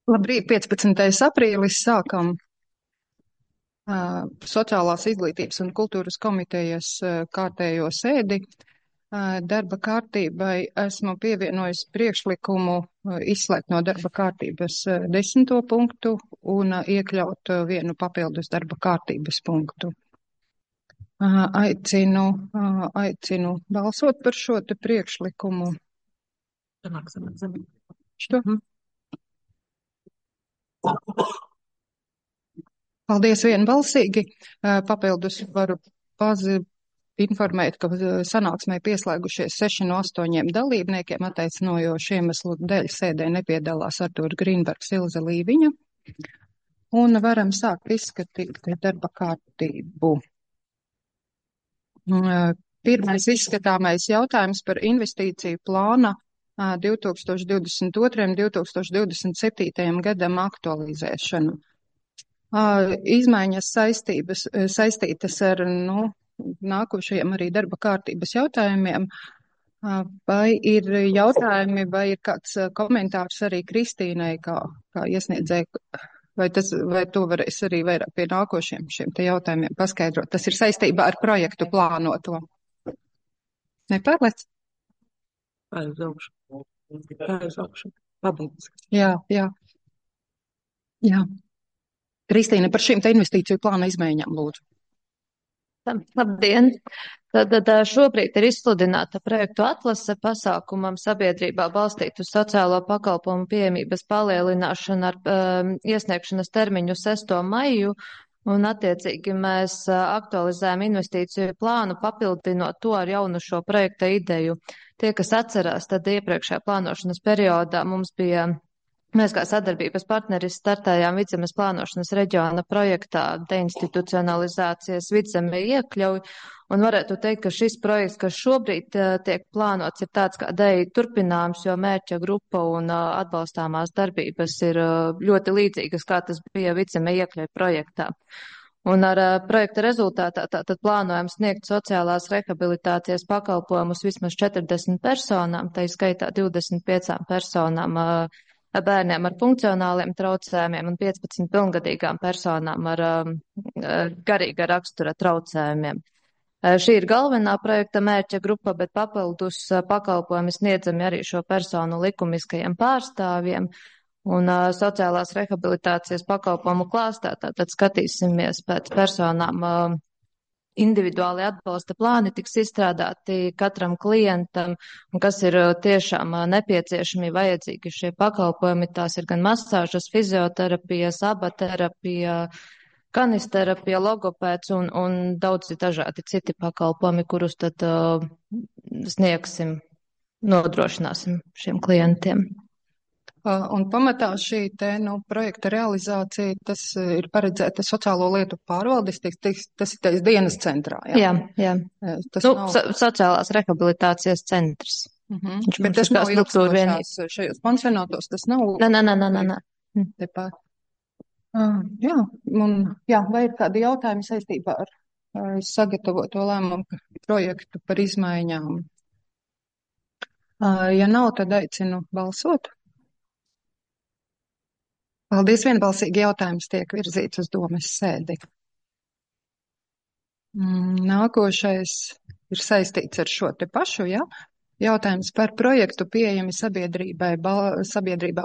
Labrīt, 15. aprīlis sākam Sociālās izglītības un kultūras komitejas kārtējo sēdi. Darba kārtībai esmu pievienojis priekšlikumu izslēgt no darba kārtības 10. punktu un iekļaut vienu papildus darba kārtības punktu. Aicinu balsot par šo te priekšlikumu. Što? Paldies vienbalsīgi. Papildus varu informēt, ka sanāksmē pieslēgušies 6 no 8 dalībniekiem, attaisnojoši iemeslu dēļ sēdē nepiedalās Artūra Grīnbergs, Ilze Līviņa. Un varam sākt izskatīt darba kārtību. Pirmais izskatāmais jautājums par investīciju plāna 2022. un 2027. gadam aktualizēšanu. Izmaiņas saistītas ar nākošajiem arī darba kārtības jautājumiem. Vai ir jautājumi, vai ir kāds komentārs arī Kristīnai, kā iesniedzēja, vai to varēs arī vairāk pie nākošiem šiem te jautājumiem paskaidrot? Tas ir saistībā ar projektu plānoto. Nepārlec? Aizaugšu. Pabeidz. Jā. Kristīna, par šīm te investīciju plāna izmaiņām, lūdzu. Labdien! Tad šobrīd ir izsludināta projektu atlase pasākumam sabiedrībā balstītu sociālo pakalpojumu pieejamības palielināšanu ar iesniegšanas termiņu 6. maiju, un attiecīgi mēs aktualizējam investīciju plānu, papildinot to ar jaunu šo projekta ideju. Tie, kas atcerās, tad iepriekšējā plānošanas periodā mēs kā sadarbības partneris startējām Vidzemes plānošanas reģiona projektā deinstitucionalizācijas Vidzeme iekļauj, un varētu teikt, ka šis projekts, kas šobrīd tiek plānots, ir tāds kā DEI turpinājums, jo mērķa grupa un atbalstāmās darbības ir ļoti līdzīgas, kā tas bija Vidzeme iekļauj projektā. Un ar projekta rezultātā tātad plānojam sniegt sociālās rehabilitācijas pakalpojumus vismaz 40 personām, tā skaitā 25 personām bērniem ar funkcionāliem traucējumiem un 15 pilngadīgām personām ar garīga rakstura traucējumiem. Šī ir galvenā projekta mērķa grupa, bet papildus pakalpojumi sniedzami arī šo personu likumiskajiem pārstāvjiem. Un sociālās rehabilitācijas pakalpojumu klāstā tātad skatīsimies pēc personām. Individuāli atbalsta plāni tiks izstrādāti katram klientam, un kas ir tiešām nepieciešami vajadzīgi šie pakalpojumi. Tās ir gan masāžas, fizioterapija, abaterapija, kanisterapija, logopēds un daudzi dažādi citi pakalpojumi, kurus tad nodrošināsim šiem klientiem. Un pamatā šī te, projekta realizācija, tas ir paredzēta sociālo lietu pārvaldes, tas ir dienas centrā, jā? Jā. Sociālās rehabilitācijas centrs. Bet tas nav ilgstošās šajos pansionātos, tas nav? Nē. Tepat. Vai ir kādi jautājumi saistībā ar sagatavoto lēmumu projektu par izmaiņām? Ja nav, tad aicinu balsot. Paldies, vienbalsīgi jautājums tiek virzīts uz domes sēdi. Nākošais ir saistīts ar šo te pašu, ja? Jautājums par projektu pieejami sabiedrībā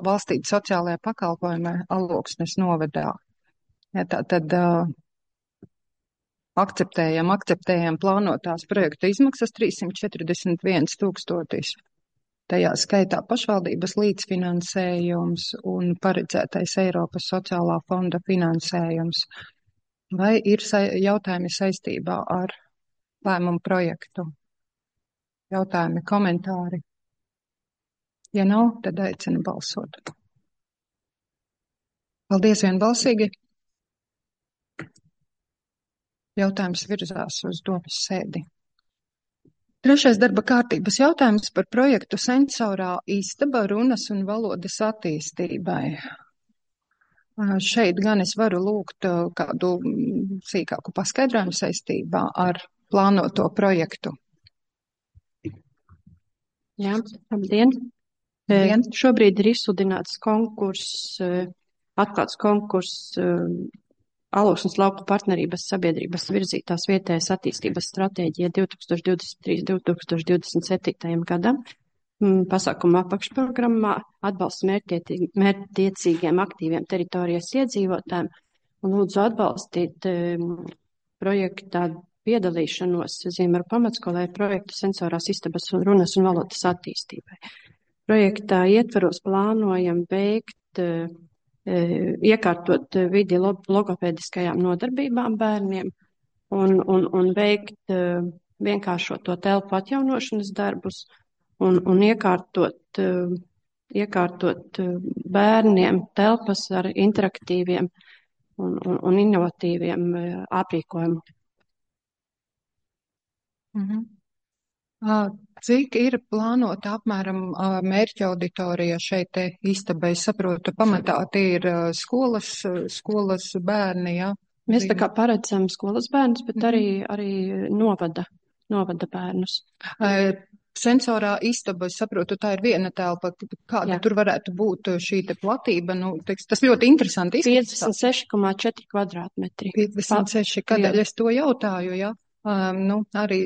balstīt sociālajā pakalpojumā Alloksnes novadā. Ja, tātad akceptējam plānotās projekta izmaksas 341 000. Tajā skaitā pašvaldības līdzfinansējums un paredzētais Eiropas sociālā fonda finansējums. Vai ir jautājumi saistībā ar lēmumu projektu? Jautājumi, komentāri? Ja nav, tad aicinu balsot. Paldies vienbalsīgi. Jautājums virzās uz domes sēdi. Trešais darba kārtības jautājums par projektu Sensorā istaba runas un valodas attīstībai. Šeit gan es varu lūgt kādu sīkāku paskaidrojumu saistībā ar plānoto projektu. Jā, labdien! Šobrīd ir izsludināts atklāts konkurss Alūksnes lauku partnerības sabiedrības virzītās vietējas attīstības stratēģija 2023–2027 gadam. Pasākuma apakšprogrammā atbalsts mērķtiecīgiem aktīviem teritorijas iedzīvotājiem un lūdzu atbalstīt projektā piedalīšanos Ziemeru pamatskolē projektu sensorās istabas un runas un valodas attīstībai. Projektā ietvaros plānojam iekārtot vidi logopēdiskajām nodarbībām bērniem un veikt vienkāršoto telpu atjaunošanas darbus un iekārtot bērniem telpas ar interaktīviem un inovatīviem aprīkojumiem. Cik ir plānota apmēram mērķa auditorija šeit istabai? Saprotu, pamatā tie ir skolas bērni, jā? Mēs tā kā paredzam skolas bērnus, bet arī novada bērnus. Sensorā istaba, es saprotu, tā ir viena telpa. Kāda tur varētu būt šī te platība? Tas ļoti interesanti izskatās. 56,4 kvadrātmetri. 56, kādēļ es to jautāju, jā? Arī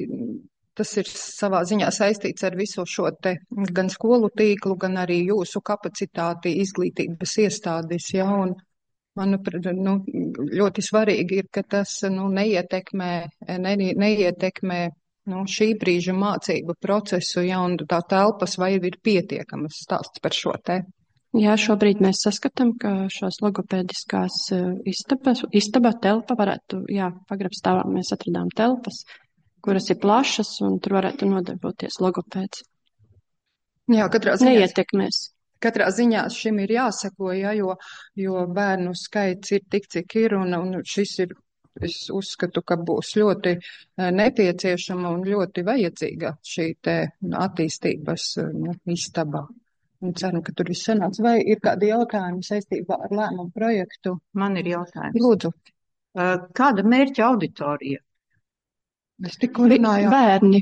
tas ir savā ziņā saistīts ar visu šo te gan skolu tīklu, gan arī jūsu kapacitāti izglītības iestādes, jā, un manuprāt, ļoti svarīgi ir, ka tas, neietekmē šī brīža mācību procesu, jā, un tā telpas vai ir pietiekamas stāsts par šo te? Jā, šobrīd mēs saskatām, ka šās logopēdiskās istaba telpa varētu, pagrabstāvā mēs atradām telpas, kuras ir plašas, un tur varētu nodarboties logopēds. Jā, katrā ziņā. Neietekmēs. Katrā ziņā šim ir jāseko, jo bērnu skaits ir tik, cik ir, un šis ir, es uzskatu, ka būs ļoti nepieciešama un ļoti vajadzīga šī te attīstības istaba. Un ceru, ka tur viss sanāks. Vai ir kādi jautājumi saistībā ar lēmumu projektu? Man ir jautājums. Lūdzu. Kāda mērķa auditorija? Es tikko runāju. Bērni.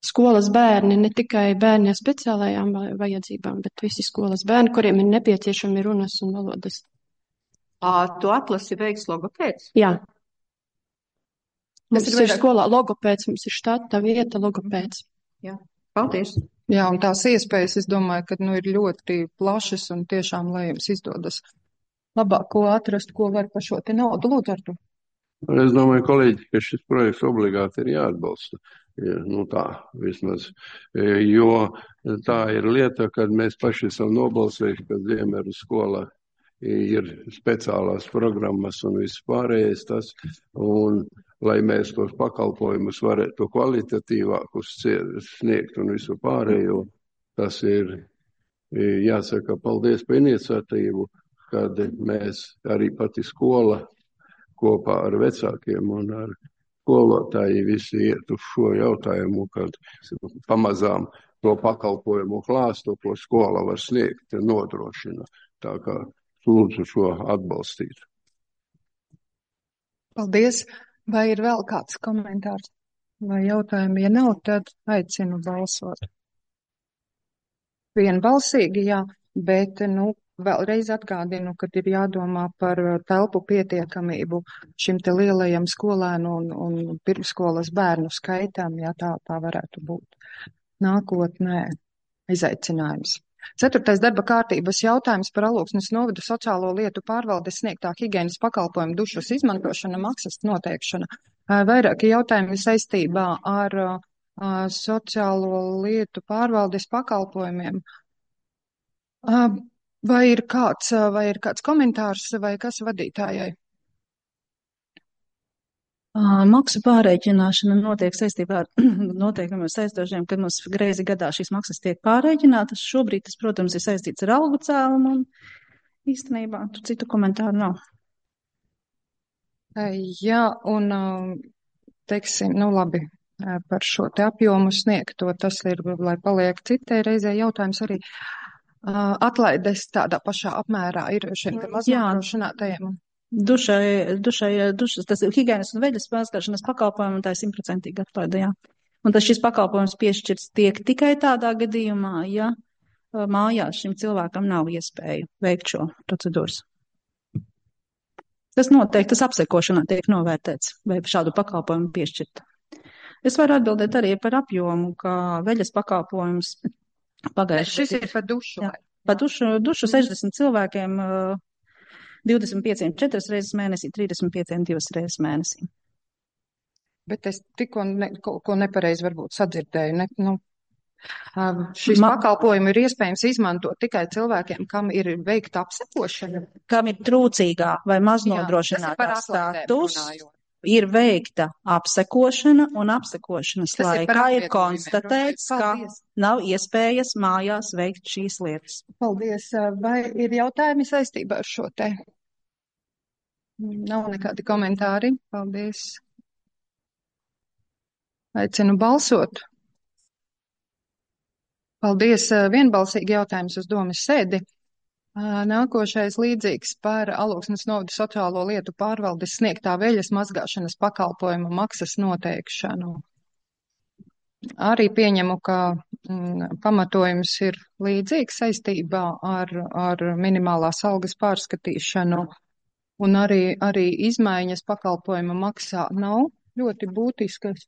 Skolas bērni, ne tikai bērni ar speciālajām vajadzībām, bet visi skolas bērni, kuriem ir nepieciešami runas un valodas. Tu atlasi veiks logopēds? Jā. Mums ir skolā logopēds, mums ir štata vieta logopēds. Jā, paldies. Jā, un tās iespējas, es domāju, ka ir ļoti plašas un tiešām, lai jums izdodas labāk ko atrast, ko var par šo te naudu. Lūdzu, ar to. Es domāju, kolēģi, ka šis projekts obligāti ir jāatbalsta. Tā vismaz, jo tā ir lieta, kad mēs paši esam nobalsējuši, ka Ziemeru skola ir speciālās programmas un viss pārējais tas, un lai mēs tos pakalpojumus varētu kvalitatīvākus sniegt un visu pārējo, tas ir, jāsaka, paldies par iniciatīvu, kad mēs arī pati skola kopā ar vecākiem un ar skolotāji visi iet uz šo jautājumu, kad pamazām to pakalpojumu klāstu, ko skola var sniegt, nodrošina. Tā kā lūdzu šo atbalstīt. Paldies. Vai ir vēl kāds komentārs vai jautājumi? Ja nav, tad aicinu balsot. Vienbalsīgi, jā, bet, vēlreiz atgādinu, ka ir jādomā par telpu pietiekamību šim te lielajam skolēnu un pirmskolas bērnu skaitam, ja tā varētu būt nākotnē izaicinājums. 4. darba kārtības jautājums par Alūksnes novada sociālo lietu pārvaldes sniegtā higienas pakalpojumu dušas izmantošana, maksas noteikšana. Vairāki jautājumi saistībā ar sociālo lietu pārvaldes pakalpojumiem. Vai ir kāds komentārs vai kas vadītājai? Maksu pārreikināšana notiek saistībā ar noteikumiem saistošiem, kad mums greizi gadā šīs maksas tiek pārreikinātas. Šobrīd tas, protams, ir saistīts ar algu cēlumu un īstenībā tur citu komentāru nav. Jā, un teiksim, labi, par šo te apjomu sniegto, tas ir, lai paliek citai reizē jautājums arī. Atlaides tādā pašā apmērā ir šiem te maznodrošinātajiem. Dušas, tas ir higienas un veļas mazgāšanas pakalpojumi, un tā ir 100% atlaide, jā. Un tas šis pakalpojums piešķirts tiek tikai tādā gadījumā, ja mājās šim cilvēkam nav iespēja veikt šo procedūras. Tas noteikti, tas apsekošanā tiek novērtēts, vai šādu pakalpojumu piešķirt. Es varu atbildēt arī par apjomu, ka veļas pakalpojums pagājuši. Šis ir par dušu. Jā, par dušu 60 cilvēkiem, 25 4 reizes mēnesī, 35 2 reizes mēnesī. Bet es tikko kaut ko nepareizi varbūt sadzirdēju. Šis pakalpojumu ir iespējams izmantot tikai cilvēkiem, kam ir veikta apsekošana. Kam ir trūcīgā vai maznodrošinātā status, ir veikta apsekošana, un apsekošanas laikā ir konstatēts, ka nav iespējas mājās veikt šīs lietas. Paldies. Vai ir jautājumi saistībā ar šo te? Nav nekādi komentāri. Paldies. Aicinu balsot. Paldies. Vienbalsīgi jautājums uz domas sēdi. Nākošais līdzīgs par Alūksnes novada sociālo lietu pārvaldes sniegtā veļas mazgāšanas pakalpojumu maksas noteikšanu. Arī pieņemu, ka pamatojums ir līdzīgs saistībā ar minimālās algas pārskatīšanu, un arī izmaiņas pakalpojuma maksā nav ļoti būtiskas.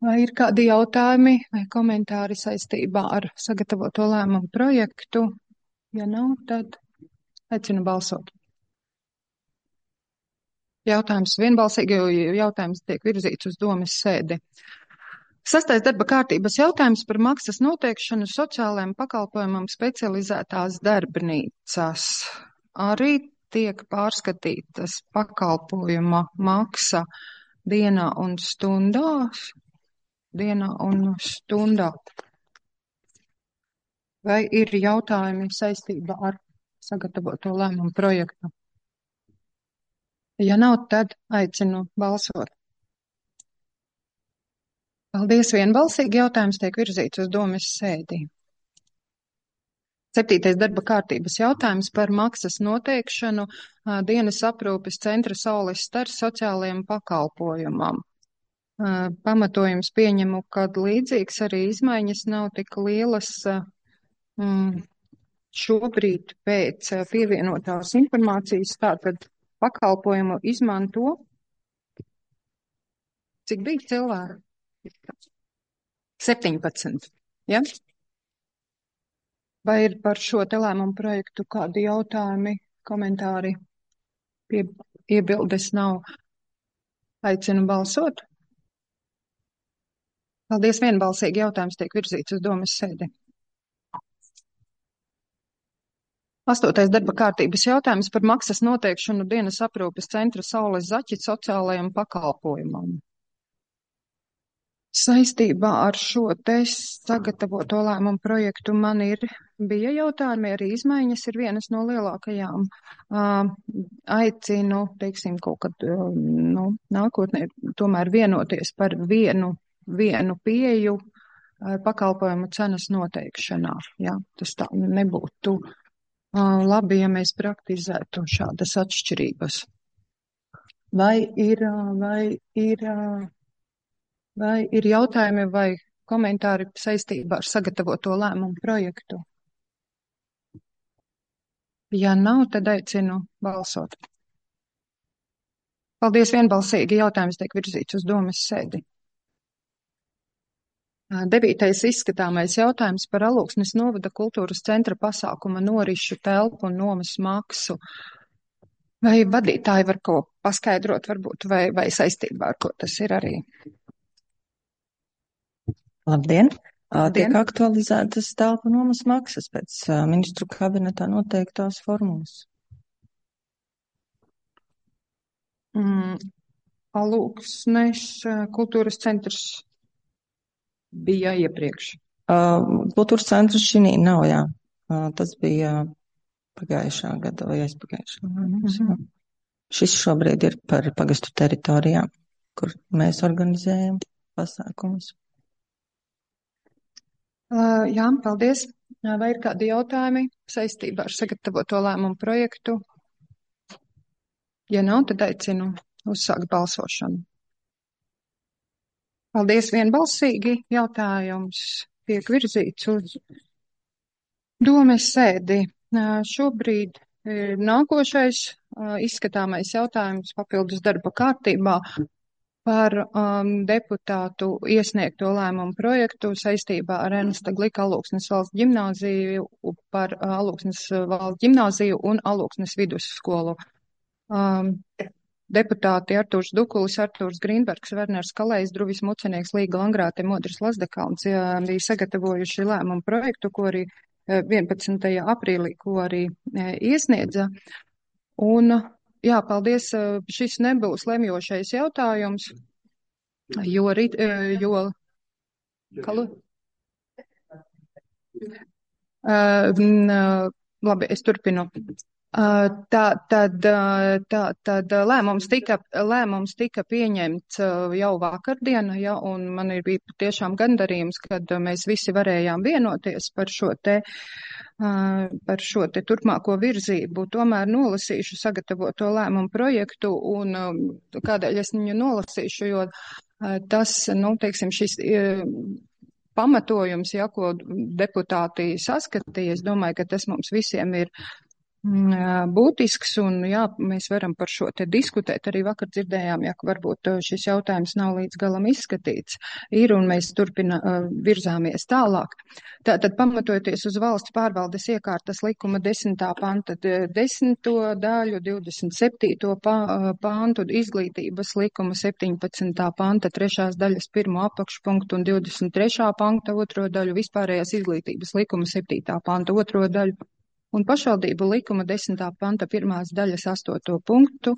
Vai ir kādi jautājumi vai komentāri saistībā ar sagatavoto lēmumu projektu? Ja nav, tad aicinu balsot. Jautājums vienbalsīgi, jo jautājums tiek virzīts uz domas sēdi. 6. darba kārtības jautājums par maksas noteikšanu sociālajiem pakalpojumam specializētās darbnīcas. Arī tiek pārskatītas pakalpojuma maksa dienā un stundā. Vai ir jautājumi saistībā ar sagatavoto lēmumu projektu? Ja nav, tad aicinu balsot. Paldies, vienbalsīgi jautājums tiek virzīts uz domas sēdī. 7. darba kārtības jautājums par maksas noteikšanu dienas aprūpes centra Saules Stars sociālajiem pakalpojumam. Pamatojums pieņemu, kad līdzīgs arī izmaiņas nav tik lielas. Šobrīd pēc pievienotās informācijas tātad pakalpojumu izmanto. Cik bija cilvēki? 17. Ja? Vai ir par šo te lēmumu projektu kādi jautājumi, komentāri? Iebildes nav. Aicinu balsot. Paldies, vienbalsīgi jautājums tiek virzīts uz domas sēdi. 8. darba kārtības jautājums par maksas noteikšanu dienas aprūpes centra Saules Zaķi sociālajiem pakalpojumam. Saistībā ar šo te sagatavoto lēmumu projektu man bija jautājumi, arī izmaiņas ir vienas no lielākajām. Aicinu, teiksim, kaut kad nākotnē tomēr vienoties par vienu pieeju pakalpojumu cenas noteikšanā. Ja? Tas tā nebūtu labi, ja mēs praktizētu šādas atšķirības. Vai ir jautājumi vai komentāri saistībā ar sagatavoto lēmumu projektu? Ja nav, tad aicinu balsot. Paldies, vienbalsīgi jautājums tiek virzīts uz domas sēdi. 9. izskatāmais jautājums par Alūksnes novada kultūras centra pasākuma norišu telpu un nomas maksu. Vai vadītāji var ko paskaidrot varbūt, vai saistībā ar ko tas ir arī? Labdien! Tiek aktualizētas telpu nomas maksas pēc ministru kabinetā noteiktās formulas. Alūksnes kultūras centrs bija iepriekš. Kultūras centrs šī nav, jā. Tas bija pagājušā gada vai aizpagājušā. Šis šobrīd ir par pagastu teritorijām, kur mēs organizējam pasākumus. Jā, paldies. Vai ir kādi jautājumi saistībā ar sagatavoto lēmumu projektu? Ja nav, tad aicinu uzsākt balsošanu. Paldies, vienbalsīgi jautājums tiek virzīts uz Domes sēdi. Šobrīd nākošais izskatāmais jautājums papildus darba kārtībā par deputātu iesniegto lēmumu projektu saistībā ar Ernesta Glika Alūksnes valsts ģimnāziju par Alūksnes valsts ģimnāziju un Alūksnes vidusskolu. Deputāti Artūrs Dukulis, Artūrs Grīnbergs, Werners Kalējs, Druvis Mucenieks, Līga Langrāte, Modris Lazdekalns bija sagatavojuši lēmumu projektu, ko arī 11. aprīlī, ko arī iesniedza. Un, jā, paldies, šis nebūs lemjošais jautājums, labi, es turpinu. Tad lēmums tika pieņemts jau vakardien, ja, un man bija tiešām gandarījums, kad mēs visi varējām vienoties par šo te turpmāko virzību. Tomēr nolasīšu sagatavoto lēmumu projektu, un kādēļ es viņu nolasīšu, jo tas, teiksim, šis pamatojums, ja, ko deputāti saskatīja, es domāju, ka tas mums visiem ir būtisks, un jā, mēs varam par šo te diskutēt. Arī vakar dzirdējām, ja, ka varbūt šis jautājums nav līdz galam izskatīts. Un mēs virzāmies tālāk. Tātad, pamatojoties uz valsts pārvaldes iekārtas likuma 10. panta 10. daļu, 27. pantu, izglītības likuma 17. panta 3. daļas 1. apakšpunktu un 23. panta 2. daļu, vispārējās izglītības likuma 7. panta 2. daļu, un pašvaldību likuma 10. panta 1. daļas 8. punktu,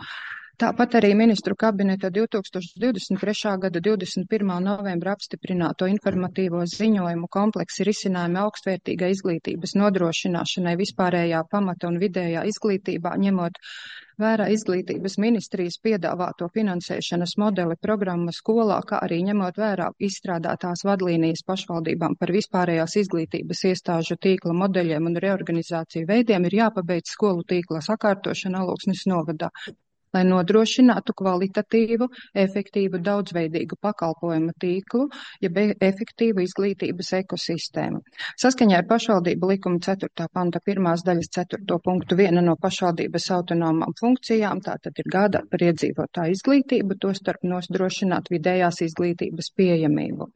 tāpat arī ministru kabineta 2023. gada 21. novembra apstiprināto informatīvo ziņojumu kompleksi risinājumi augstvērtīgai izglītības nodrošināšanai vispārējā pamata un vidējā izglītībā, ņemot vērā izglītības ministrijas piedāvāto finansēšanas modeli programma skolā, kā arī ņemot vērā izstrādātās vadlīnijas pašvaldībām par vispārējās izglītības iestāžu tīkla modeļiem un reorganizāciju veidiem, ir jāpabeidz skolu tīkla sakārtošana Alūksnes novadā, lai nodrošinātu kvalitatīvu, efektīvu, daudzveidīgu pakalpojumu tīklu, jeb efektīvu izglītības ekosistēmu. Saskaņā ar pašvaldību likuma 4. panta 1. daļas 4. punktu viena no pašvaldības autonomām funkcijām, tātad ir gādāt par iedzīvotāju izglītību, tostarp nodrošināt vidējās izglītības pieejamību.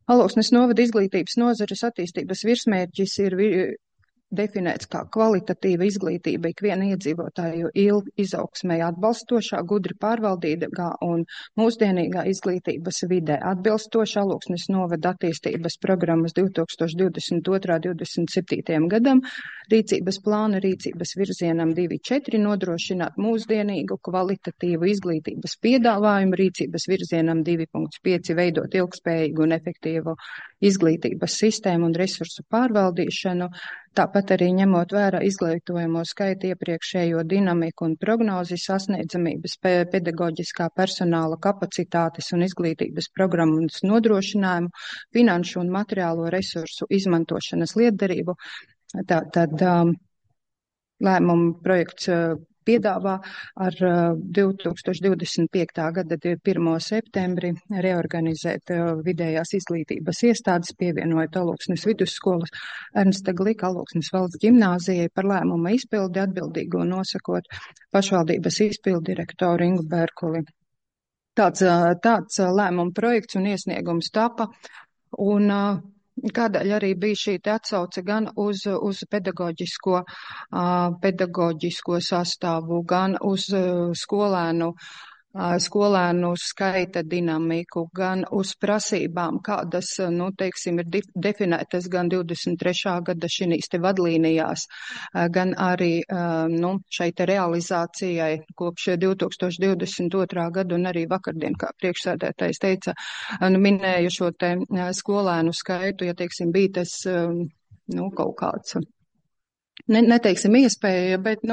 Alūksnes novada izglītības nozares attīstības virsmērķis ir definēts kā kvalitatīva izglītība ikviena iedzīvotāju izaugsmē atbalstošā, gudri pārvaldīgā un mūsdienīgā izglītības vidē atbilstošā Alūksnes novada attīstības programmas 2022–2027 gadam, rīcības plāna rīcības virzienam 2.4 nodrošināt mūsdienīgu kvalitatīvu izglītības piedāvājumu, rīcības virzienam 2.5 veidot ilgspējīgu un efektīvu izglītības sistēmu un resursu pārvaldīšanu, tāpat arī ņemot vērā izglītojamo skaitu iepriekšējo dinamiku un prognozi sasniedzamības pedagoģiskā personāla kapacitātes un izglītības programmas nodrošinājumu, finanšu un materiālo resursu izmantošanas lietderību. Tad lēmumu projekts piedāvā ar 2025. gada 1. septembri reorganizēt vidējās izglītības iestādes, pievienojot Alūksnes vidusskolas Ernesta Glika Alūksnes valsts ģimnāzijai par lēmuma izpildi atbildīgo nosakot pašvaldības izpildirektoru Ingu Bērkuli. Tāds lēmuma projekts un iesniegums tapa, un kādēļ arī bija šī atsauce gan uz pedagoģisko sastāvu, gan uz skolēnu skaita dinamiku, gan uz prasībām, kādas, teiksim, ir definētas gan 23. gada šīs te vadlīnijās, gan arī, šai te realizācijai kopš 2022. gada un arī vakardien, kā priekšsēdētājs teica, minēju šo te skolēnu skaitu, ja, teiksim, bija tas, kaut kāds, neteiksim iespēja, bet,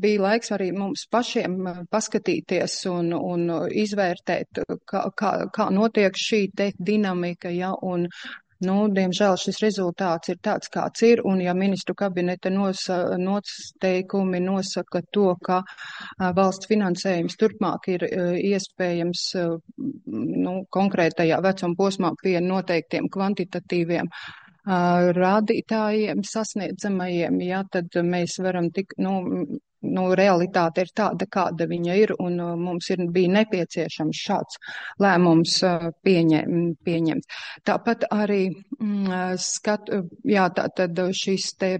bija laiks arī mums pašiem paskatīties un izvērtēt, kā notiek šī te dinamika, ja, un, diemžēl šis rezultāts ir tāds, kāds ir, un ja ministru kabineta noteikumi nosaka to, ka valsts finansējums turpmāk ir iespējams, konkrētajā vecuma posmā pie noteiktiem kvantitatīviem rādītājiem sasniedzamajiem, ja, tad mēs varam realitāte ir tāda, kāda viņa ir, un mums bija nepieciešams šāds lēmums pieņemt. Tāpat arī tātad šis te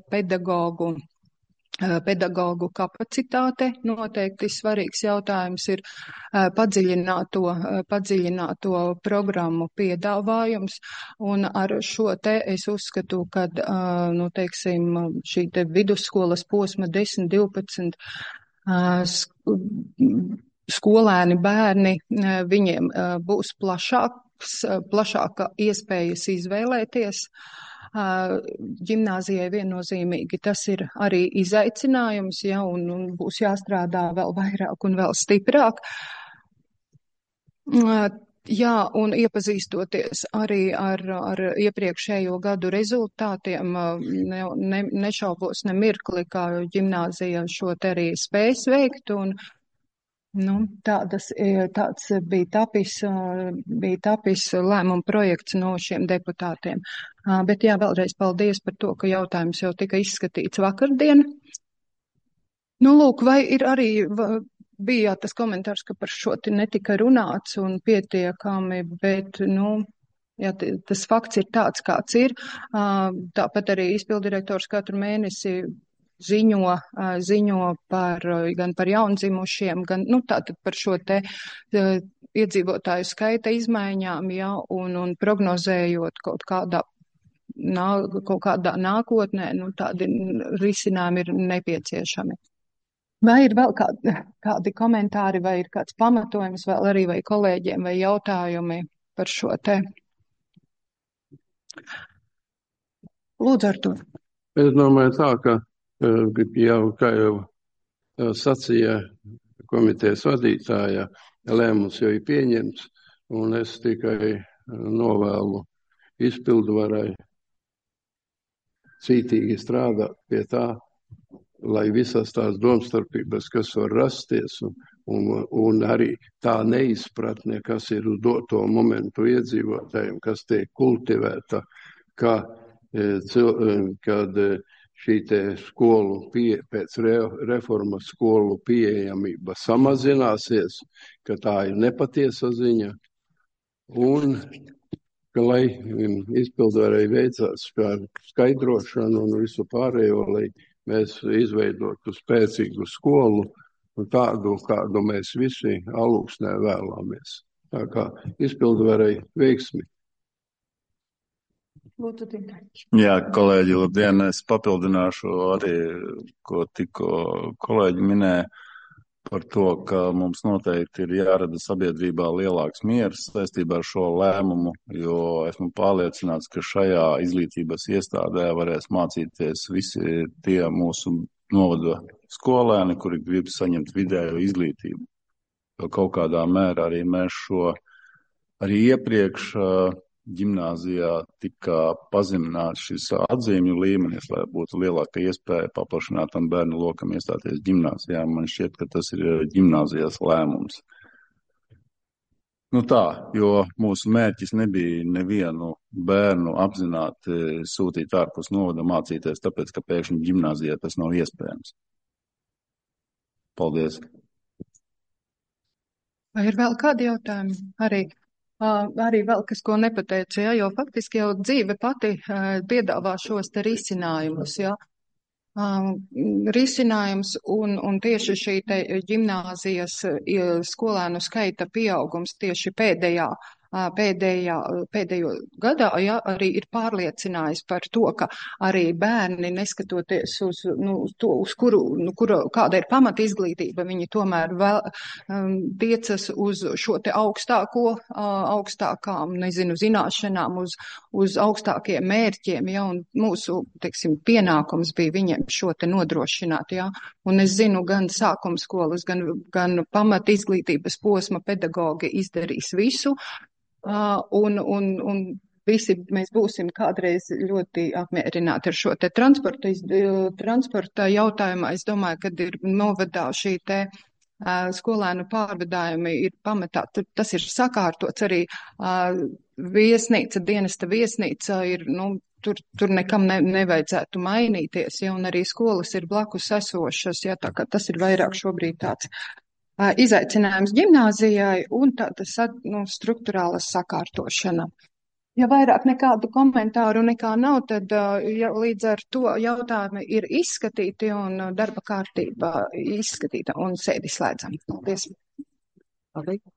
pedagogu kapacitāte noteikti svarīgs jautājums ir padziļināto programmu piedāvājums, un ar šo te es uzskatu, ka, šī te vidusskolas posma 10, 12 skolēni bērni, viņiem būs plašāka iespējas izvēlēties. Ģimnāzijai viennozīmīgi tas ir arī izaicinājums, ja, un būs jāstrādā vēl vairāk un vēl stiprāk. Jā, un iepazīstoties arī ar iepriekšējo gadu rezultātiem, nešaubos ne mirkli, kā ģimnāzija šo te arī spēs veikt, un tāds bija tapis lēmuma projekts no šiem deputātiem. Bet jā, vēlreiz paldies par to, ka jautājums jau tika izskatīts vakardien. Lūk, vai ir arī, bija tas komentārs, ka par šo netika runāts un pietiekami, bet, jā, tas fakts ir tāds, kāds ir. Tāpat arī izpildirektors katru mēnesi ziņo gan par jaundzimušiem, gan, tātad par šo te iedzīvotāju skaita izmaiņām, ja, un prognozējot kaut kādā nākotnē, tādi risinājumi ir nepieciešami. Vai ir vēl kādi komentāri, vai ir kāds pamatojums vēl arī vai kolēģiem vai jautājumi par šo te? Lūdzu, Artur. Es domāju tā, ka kā jau sacīja komitejas vadītāja, lēmums jau ir pieņemts, un es tikai novēlu izpildvarai cītīgi strādāt pie tā, lai visas tās domstarpības, kas var rasties, un arī tā neizpratne, kas ir uz doto momentu iedzīvotājiem, kas tiek kultivēta, kad šī te skolu pēc reformas skolu pieejamība samazināsies, ka tā ir nepatiesa ziņa, un ka, lai izpildvarai veicās par skaidrošanu un visu pārējo, lai mēs izveidotu spēcīgu skolu, tādu, kādu mēs visi Alūksnē vēlamies. Tā kā izpildvarai veiksmi. Jā, kolēģi, labdien, es papildināšu arī, ko tikko kolēģi minēja par to, ka mums noteikti ir jārada sabiedrībā lielāks miers saistībā ar šo lēmumu, jo esmu pārliecināts, ka šajā izglītības iestādē varēs mācīties visi tie mūsu novada skolēni, kuri grib saņemt vidējo izglītību. Jo kaut kādā mērā arī mēs šo arī iepriekš ģimnāzijā tika pazemināts šis atzīmju līmenis, lai būtu lielāka iespēja paplašinātam bērnu lokam iestāties ģimnāzijā. Man šķiet, ka tas ir ģimnāzijas lēmums. Tā, jo mūsu mērķis nebija nevienu bērnu apzināti sūtīt ārpus novada mācīties, tāpēc, ka pēkšņi ģimnāzijā tas nav iespējams. Paldies. Vai ir vēl kādi jautājumi? Arī vēl kas, ko nepateicu, ja, jo faktiski jau dzīve pati piedāvā šos te risinājumus, ja. Risinājums un tieši šī te ģimnāzijas skolēnu skaita pieaugums tieši pēdējo gadā, ja, arī ir pārliecinājis par to, ka arī bērni, neskatoties uz to, uz kāda ir pamata izglītība, viņi tomēr tiecas uz šo te augstākām, zināšanām, uz augstākiem mērķiem, ja, un mūsu, pienākums bija viņiem šo te nodrošināt, ja, un es zinu, gan sākumskolas, gan pamata izglītības posma pedagogi izdarīs visu, un visi mēs būsim kādreiz ļoti apmierināti ar šo te transporta jautājumā. Es domāju, kad ir novadā šī te skolēnu pārvadājumi ir pamatā, tas ir sakārtots arī dienesta viesnīca ir, tur nekam nevajadzētu mainīties, ja, un arī skolas ir blakus esošas, ja, tā kā tas ir vairāk šobrīd tāds izaicinājums ģimnāzijai un tāda struktūrāla sakārtošana. Ja vairāk nekādu komentāru nekā nav, tad ja, līdz ar to jautājumi ir izskatīti un darba kārtība izskatīta un sēdi slēdzam. Paldies. Paldies.